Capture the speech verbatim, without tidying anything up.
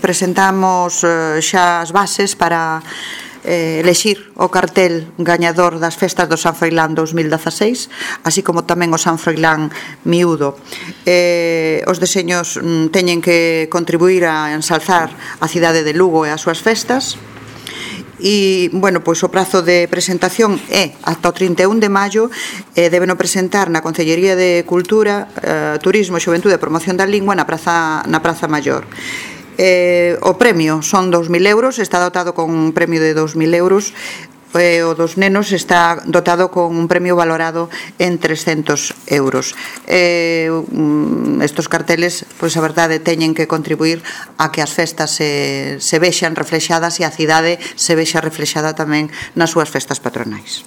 presentamos eh, xa as bases para eh, elexir o cartel gañador das festas do San Froilán dous mil dezaseis, así como tamén o San Froilán miúdo. Eh, os deseños mm, teñen que contribuir a ensalzar a cidade de Lugo e as súas festas. E, bueno, pois o prazo de presentación é ata o trinta e un de maio. eh, Debeno presentar na Concellería de Cultura, eh, Turismo, Xuventude e Promoción da Lingua na Praza, na Praza Maior. Eh, o premio son dous mil euros, está dotado con un premio de dous mil euros. Eh, o dos nenos está dotado con un premio valorado en trescentos euros. Eh, estos carteles, pois a verdade, teñen que contribuir a que as festas se, se vexan reflexadas e a cidade se vexa reflexada tamén nas súas festas patronais.